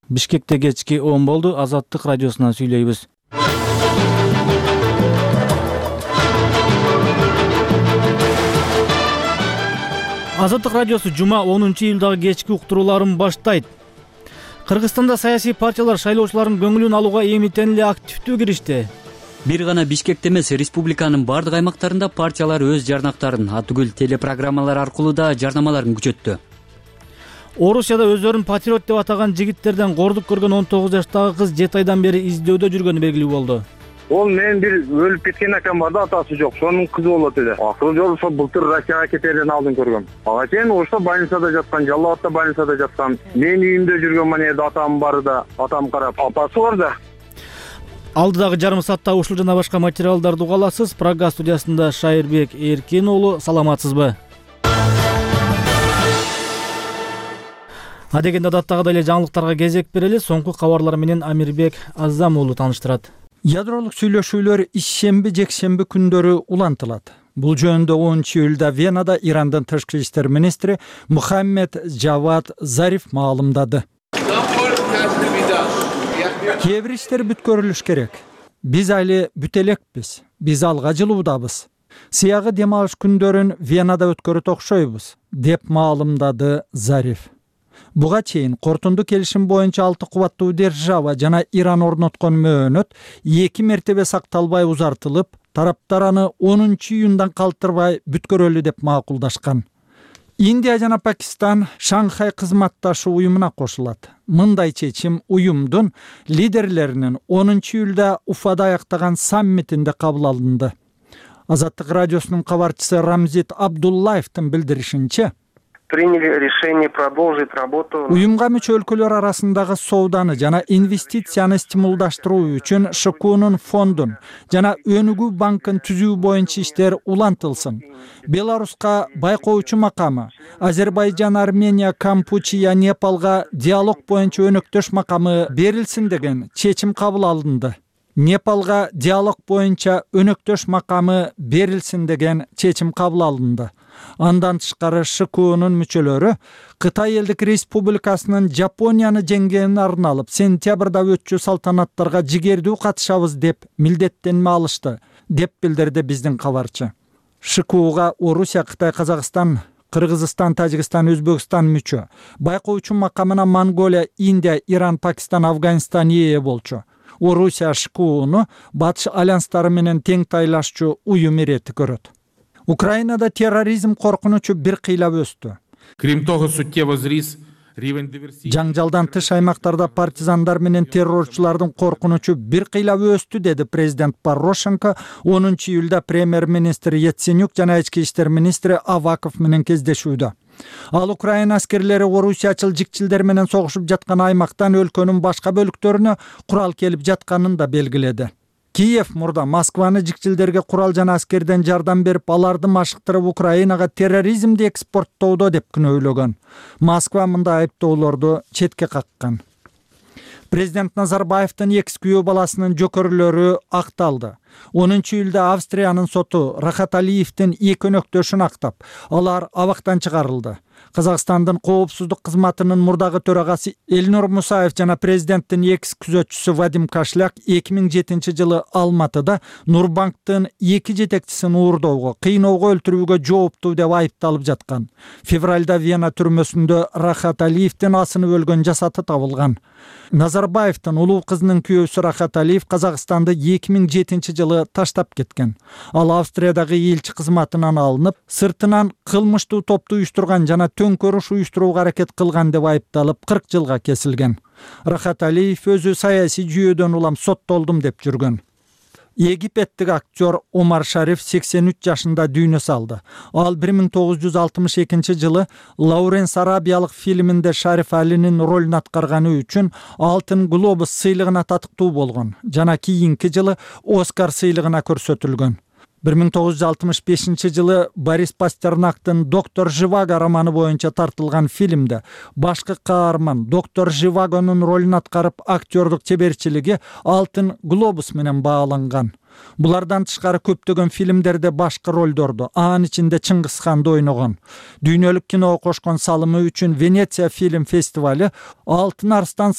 Бишкекте кечки 10 болду. Азаттык радиосунан сүйлөйбүз. Азаттык радиосу жума 10-июлдагы кечки уктурууларын баштайт. Кыргызстанда саясий партиялар шайлоочулардын көңүлүн алууга эмитен эле активдүү киришти. Бир гана Бишкекте эмес, республиканын бардык аймактарында партиялар өз жарнактарын, атүгүл телепрограммалар аркылуу да жарнамаларын күчөттү. Орусияда өздөрүн патриот деп атаган жигиттерден кордук көргөн 19 жаштагы кыз 7 айдан бери издөөдө жүргөнү белгилүү болду. Ол менин бир өлүп кеткен акам бар да, атасы жок. Сонун кызы болот эле. Акыры жолу ошо былтыр Россияга кетерден алдын көргөм. Ага чейин ошо больницада жаткан, Жалал Абадта больницада жаткан. Мен үйүмдө жүргөн манерде атам бары да, атам карап, апасы бар да. Алдыдагы жарым саатта ушул жана башка материалдарды уга аласыз. Прага студиясында Шайырбек Эркин уулу, саламатсызбы? Адегенде адаттагыдай эле жаңылыктарга кезек берели. Соңку кабарлар менен Амирбек Аззам уулу тааныштырат. Ядролук сүйлөшүүлөр ишшемби-жекшемби күндөрү улантылат. Бул жөнүндө 10-июлда Венада Ирандын тышкы иштер министри Мухаммед Джавад Зариф маалымдады. Кээ бир иштер бүткөрүлүш керек. Биз али бүтө элекпиз. Биз алга жылуудабыз. Сыягы дем алыш күндөрүн Венада өткөрөт окшойбуз, деп маалымдады Зариф. Буга чейин кортунду келишим боюнча 6 кубаттуу держава жана Иран орноткон мөөнөт 2 мертебе сакталбай узартылып, тараптар аны 10-июндан калтырбай бүткөрөлү деп макулдашкан. Индия жана Пакистан Шанхай кызматташуу уюмуна кошулат. Мындай чечим уюмдун лидерлеринин 10-июлда Уфада аяктаган саммитинде кабыл алынды. Азаттык радиосунун кабарчысы Рамзит Абдуллаевдин билдиришинче, приняли решение продолжить работу. Уюмга мүчө өлкөлөр арасындагы сооданы жана инвестицияны стимулдаштыруу үчүн ШКУнун фондун жана Өнүгүү банкын түзүү боюнча иштер улантылсын. Беларуска байкоочу макамы, Азербайжан, Армения, Кампучия, Непалга диалог боюнча өнөктөш макамы берилсин деген чечим кабыл алынды. Непалга диалог боюнча өнөктөш макамы берилсин деген чечим кабыл алынды. Андан тышкары ШКУнун мүчөлөрү Кытай элдик республикасынын Жапонияны жеңгенин арналып сентябрда өтчү салтанаттарга жигердүү катышабыз деп милдеттенме алышты, деп билдирди биздин кабарчы. ШКУга Орусия, Кытай, Казакстан, Кыргызстан, Тажикстан, Өзбекстан мүчө. Байкоочу макамына Монголия, Индия, Иран, Пакистан, Афганистан ээ болчу. Орусия ШКУну батыш альянстары менен тең тайлашчу уюм ирети көрөт. Украинада терроризм коркунучу бир кыйлап өстү. Жаңжалдан тыш аймактарда партизандар менен террорчулардын коркунучу бир кыйлап өстү, деди президент Порошенко 10-июлда премьер-министр Яценюк жана ички иштер министри Аваков менен кездешүүдө. Ал Украина аскерлери орусиячыл жикчилдер менен согушуп жаткан аймактан өлкөнүн башка бөлүктөрүнө курал келип жатканын да белгиледи. Киев мурда Москваны жикчилдерге курал жана аскерден жардам берип, аларды машыктырып Украинага терроризмди экспорттоодо деп күнөөлөгөн. Москва мындай айыптоолорду четке каккан. Президент Назарбаевдин экс күйөө баласынын жөкөрлөрү акталды. 10-июлда Австриянын соту Рахат Алиевдин 2 өнөктөшүн актап, алар абактан чыгарылды. Казакстандын коопсуздук кызматынын мурдагы төрагасы Элнур Мусаев жана президенттин экс күзөтчүсү Вадим Кашляк 2007 жылы Алматыда Нурбанктын 2 жетекчисин уурдоого, кыйноого, өлтүрүүгө жооптуу деп айыпталып жаткан. Февралда Вена түрмөсүндө Рахат Алиевдин асынып өлгөн жасаты табылган. Назарбаевдин улуу кызынын күйөөсү Рахат Алиев Казакстанды 2007 жылы таштап кеткен. Ал Австриядагы элчи кызматынан алынып, сыртынан кылмыштуу топту уюштурган жана төңкөрүш уюштурууга аракет кылган деп айыпталып 40 жылга кесилген. Рахат Алиев өзү саясий жүйөдөн улам соттолдум деп жүргөн. Египеттик актер Омар Шариф 83 жашында дүйнө салды. Ал 1962 жылы Лауренс Арабиялык фильминде Шариф Алинин ролун аткарганы үчүн Алтын глобус сыйлыгына татыктуу болгон жана кийинки жылы Оскар сыйлыгына көрсөтүлгөн. 1965 жылы Борис Пастернактын «Доктор Живаго» романы боюнча тартылган фильмде башкы каарман доктор Живагонун ролун аткарып, актёрдук чеберчилиги Алтын глобус менен бааланган. Булардан тышкары көптөгөн фильмдерде башкы ролдорду, анын ичинде Чыңгызханды ойногон. Дүйнөлүк киного кошкон салымы үчүн Венеция фильм фестивали Алтын арстан